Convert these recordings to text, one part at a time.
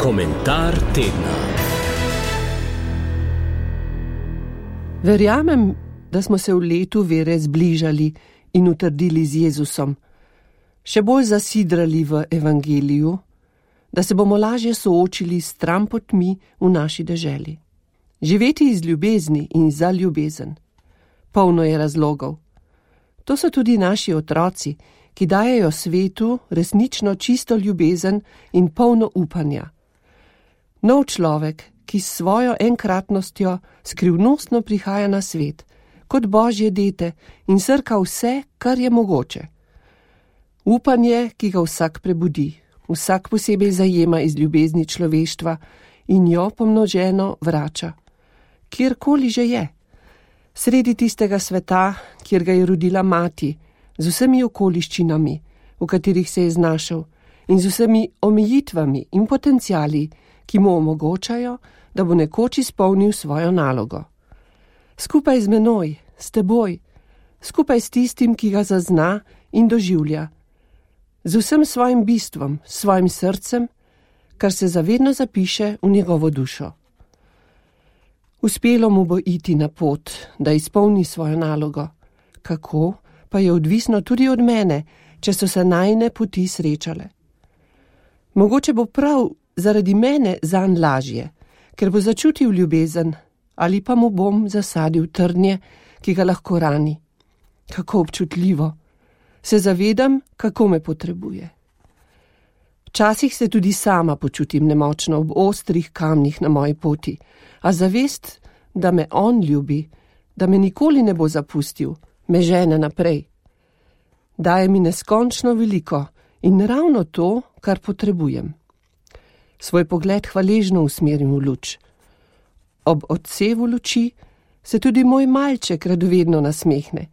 Komentar tedna. Verjamem, da smo se v letu vere zbližali in utrdili z Jezusom, še bolj zasidrali v evangeliju, da se bomo lažje soočili s trampotmi v naši deželi. Živeti iz ljubezni in za ljubezen. Polno je razlogov. To so tudi naši otroci, ki dajejo svetu resnično čisto ljubezen in polno upanja. Nov človek, ki s svojo enkratnostjo skrivnostno prihaja na svet, kot Božje dete in srka vse, kar je mogoče. Upanje, ki ga vsak prebudi, vsak posebej zajema iz ljubezni človeštva in jo pomnoženo vrača. Kjerkoli že je. Sredi tistega sveta, kjer ga je rodila mati, z vsemi okoliščinami, v katerih se je znašel, in z vsemi omejitvami in potenciali, ki mu omogočajo, da bo nekoč izpolnil svojo nalogo. Skupaj z menoj, s teboj, skupaj s tistim, ki ga zazna in doživlja, z vsem svojim bistvom, svojim srcem, kar se zavedno zapiše v njegovo dušo. Uspelo mu bo iti na pot, da izpolni svojo nalogo. Kako, pa je odvisno tudi od mene, če so se najine poti srečale. Mogoče bo prav zaradi mene zanj lažje, ker bo začutil ljubezen, ali pa mu bom zasadil trnje, ki ga lahko rani. Kako občutljivo. Se zavedam, kako me potrebuje. Včasih se tudi sama počutim nemočno ob ostrih kamnih na moji poti, a zavest, da me on ljubi, da me nikoli ne bo zapustil, me žene naprej. Daje mi neskončno veliko in ravno to, kar potrebujem. Svoj pogled hvaležno usmerim v luč. Ob odsevu luči se tudi moj malček radovedno nasmehne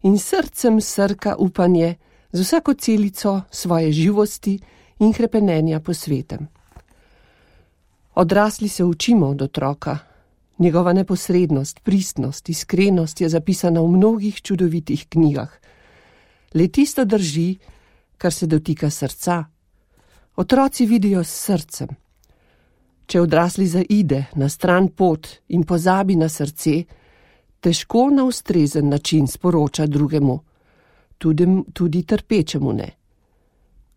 in srcem srka upanje z vsako celico svoje živosti in hrepenenja po svetem. Odrasli se učimo od otroka. Njegova neposrednost, pristnost, iskrenost je zapisana v mnogih čudovitih knjigah. Le tisto drži, kar se dotika srca. Otroci vidijo s srcem. Če odrasli zaide na stran pot in pozabi na srce, težko na ustrezen način sporoča drugemu, tudi trpečemu ne.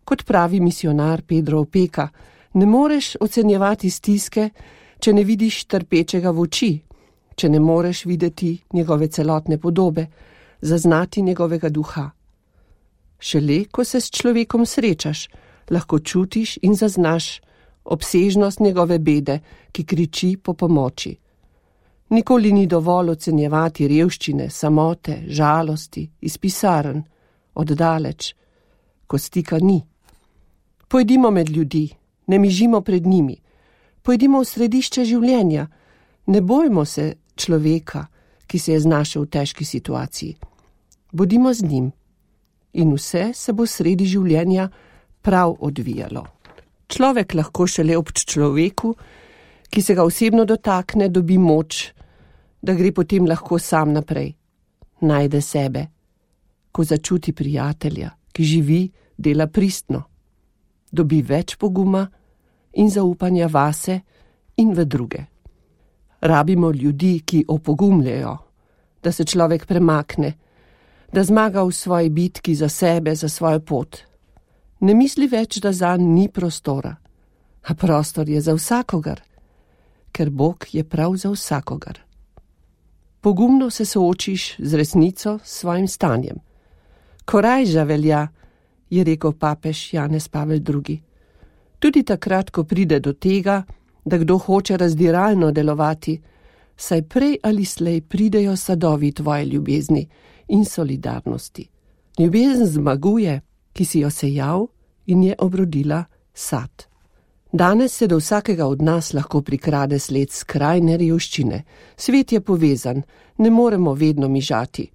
Kot pravi misionar Pedro Opeka, ne moreš ocenjevati stiske, če ne vidiš trpečega v oči, če ne moreš videti njegove celotne podobe, zaznati njegovega duha. Šele, ko se s človekom srečaš, lahko čutiš in zaznaš obsežnost njegove bede, ki kriči po pomoči. Nikoli ni dovolj ocenjevati revščine, samote, žalosti, iz pisarn, oddaleč, ko stika ni. Pojdimo med ljudi, ne mižimo pred njimi, pojdimo v središče življenja, ne bojmo se človeka, ki se je znašel v težki situaciji. Bodimo z njim in vse se bo sredi življenja prav odvijalo. Človek lahko šele ob človeku, ki se ga osebno dotakne, dobi moč, da gre potem lahko sam naprej. Najde sebe, ko začuti prijatelja, ki živi, dela pristno. Dobi več poguma in zaupanja vase in v druge. Rabimo ljudi, ki opogumljajo, da se človek premakne, da zmaga v svoji bitki za sebe, za svojo pot. Ne misli več, da zanj ni prostora, a prostor je za vsakogar, ker Bog je prav za vsakogar. Pogumno se soočiš z resnico, s svojim stanjem. Korajža velja, je rekel papež Janez Pavel II. Tudi takrat, ko pride do tega, da kdo hoče razdiralno delovati, saj prej ali slej pridejo sadovi tvoje ljubezni in solidarnosti. Ljubezen zmaguje, ki si jo sejal in je obrodila sad. Danes se do vsakega od nas lahko prikrade sled skrajne revščine. Svet je povezan, ne moremo vedno mižati.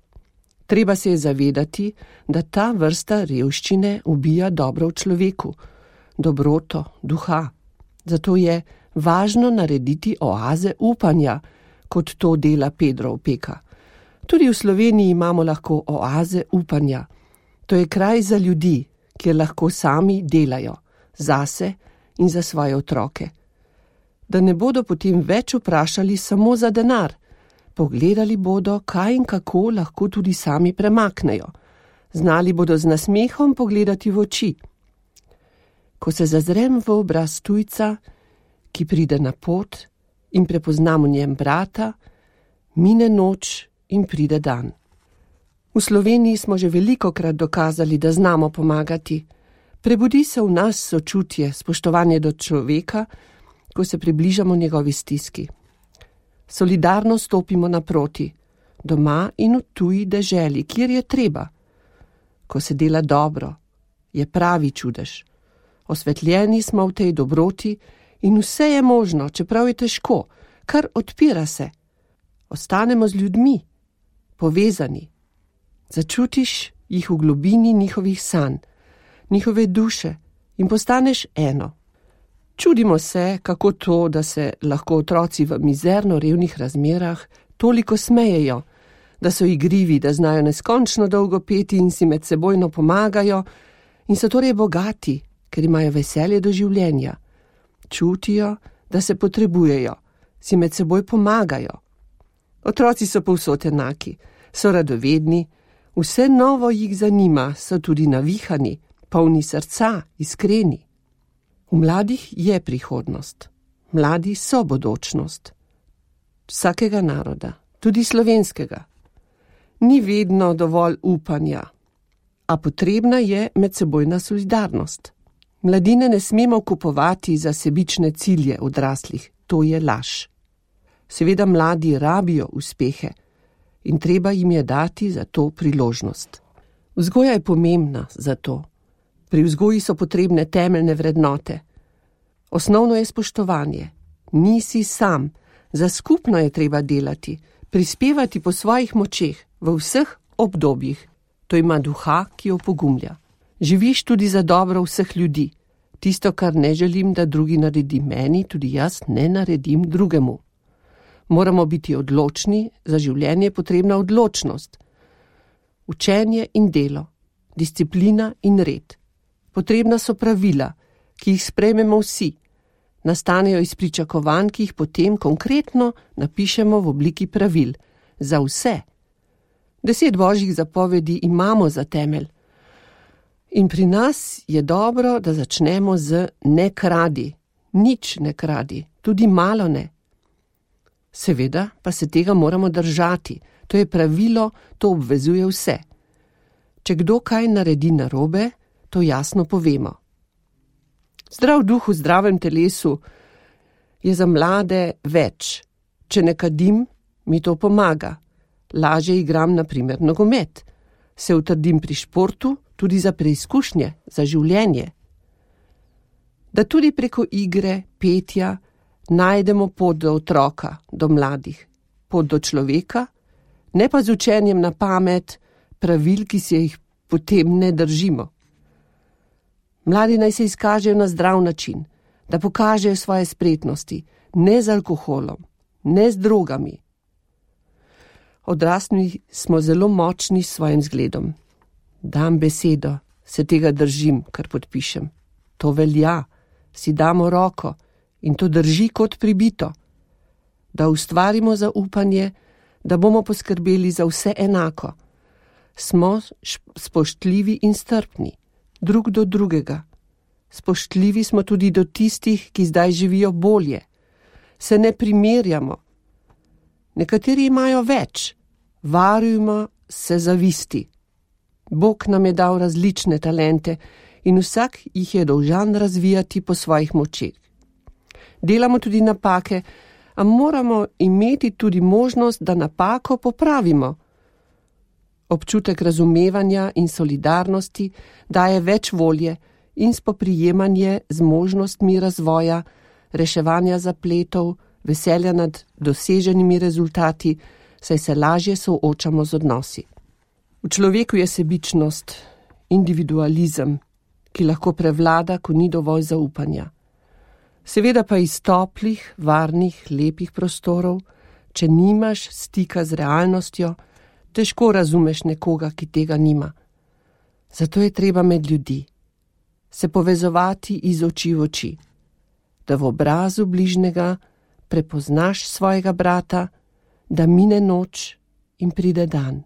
Treba se je zavedati, da ta vrsta revščine ubija dobro v človeku, dobroto, duha. Zato je važno narediti oaze upanja, kot to dela Pedro Opeka. Tudi v Sloveniji imamo lahko oaze upanja. To je kraj za ljudi, kjer lahko sami delajo, zase in za svoje otroke. da ne bodo potem več vprašali samo za denar. Pogledali bodo, kaj in kako lahko tudi sami premaknejo. Znali bodo z nasmehom pogledati v oči. Ko se zazrem v obraz tujca, ki pride na pot in prepoznam v njem brata, mine noč in pride dan. V Sloveniji smo že velikokrat dokazali, da znamo pomagati. Prebudi se v nas sočutje, spoštovanje do človeka, ko se približamo njegovi stiski. Solidarno stopimo naproti, doma in v tuji deželi, kjer je treba. Ko se dela dobro, je pravi čudež. Osvetljeni smo v tej dobroti in vse je možno, čeprav je težko, kar odpira se. Ostanemo z ljudmi, povezani. Začutiš jih v globini njihovih sanj, njihove duše in postaneš eno. Čudimo se, kako to, da se lahko otroci v mizerno revnih razmerah toliko smejejo, da so igrivi, da znajo neskončno dolgo peti in si med sebojno pomagajo in so torej bogati, ker imajo veselje do življenja. Čutijo, da se potrebujejo, si med seboj pomagajo. Otroci so povsod enaki, so radovedni, vse novo jih zanima, so tudi navihani, polni srca, iskreni. V mladih je prihodnost. Mladi so bodočnost. Vsakega naroda, tudi slovenskega. Ni vedno dovolj upanja, a potrebna je medsebojna solidarnost. Mladine ne smemo kupovati za sebične cilje odraslih, to je laž. Seveda mladi rabijo uspehe in treba jim je dati za to priložnost. Vzgoja je pomembna za to. Pri vzgoji so potrebne temeljne vrednote. Osnovno je spoštovanje. Nisi sam, za skupno je treba delati, prispevati po svojih močeh v vseh obdobjih. To ima duha, ki jo pogumlja. Živiš tudi za dobro vseh ljudi. Tisto, kar ne želim, da drugi naredi meni, tudi jaz ne naredim drugemu. Moramo biti odločni, za življenje je potrebna odločnost. Učenje in delo, disciplina in red. Potrebna so pravila, ki jih sprejmemo vsi. Nastanejo iz pričakovanj, ki jih potem konkretno napišemo v obliki pravil. Za vse. 10 božjih zapovedi imamo za temelj. In pri nas je dobro, da začnemo z ne kradi. Nič ne kradi, tudi malo ne. Seveda pa se tega moramo držati. To je pravilo, to obvezuje vse. Če kdo kaj naredi narobe, to jasno povemo. Zdrav duh v zdravem telesu je za mlade več. Če ne kadim, mi to pomaga. Lažje igram, na primer, nogomet. Se utrdim pri športu, tudi za preizkušnje, za življenje. Da tudi preko igre, petja, najdemo pot do otroka, do mladih, pot do človeka, ne pa z učenjem na pamet, pravil, ki se jih potem ne držimo. Mladi naj se izkažejo na zdrav način, da pokažejo svoje spretnosti, ne z alkoholom, ne z drogami. Odrasli smo zelo močni s svojim zgledom. Dam besedo, se tega držim, kar podpišem. To velja, si damo roko in to drži kot pribito. Da ustvarimo zaupanje, da bomo poskrbeli za vse enako. Smo spoštljivi in strpni, drug do drugega. Spoštljivi smo tudi do tistih, ki zdaj živijo bolje. Se ne primerjamo. Nekateri imajo več, varujmo se zavisti. Bog nam je dal različne talente in vsak jih je dolžan razvijati po svojih močeh. Delamo tudi napake, a moramo imeti tudi možnost, da napako popravimo. Občutek razumevanja in solidarnosti daje več volje in spoprijemanje z možnostmi razvoja, reševanja zapletov, veselja nad doseženimi rezultati, saj se lažje soočamo z odnosi. V človeku je sebičnost, individualizem, ki lahko prevlada, ko ni dovolj zaupanja. Seveda pa iz toplih, varnih, lepih prostorov, če nimaš stika z realnostjo, težko razumeš nekoga, ki tega nima. Zato je treba med ljudi, se povezovati iz oči v oči. da v obrazu bližnjega prepoznaš svojega brata, da mine noč in pride dan.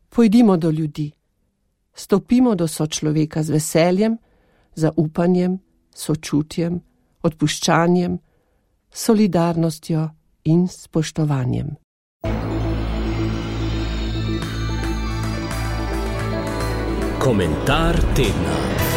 Pojdimo do ljudi, stopimo do sočloveka z veseljem, zaupanjem, sočutjem, odpuščanjem, solidarnostjo in spoštovanjem. Komentar tedna.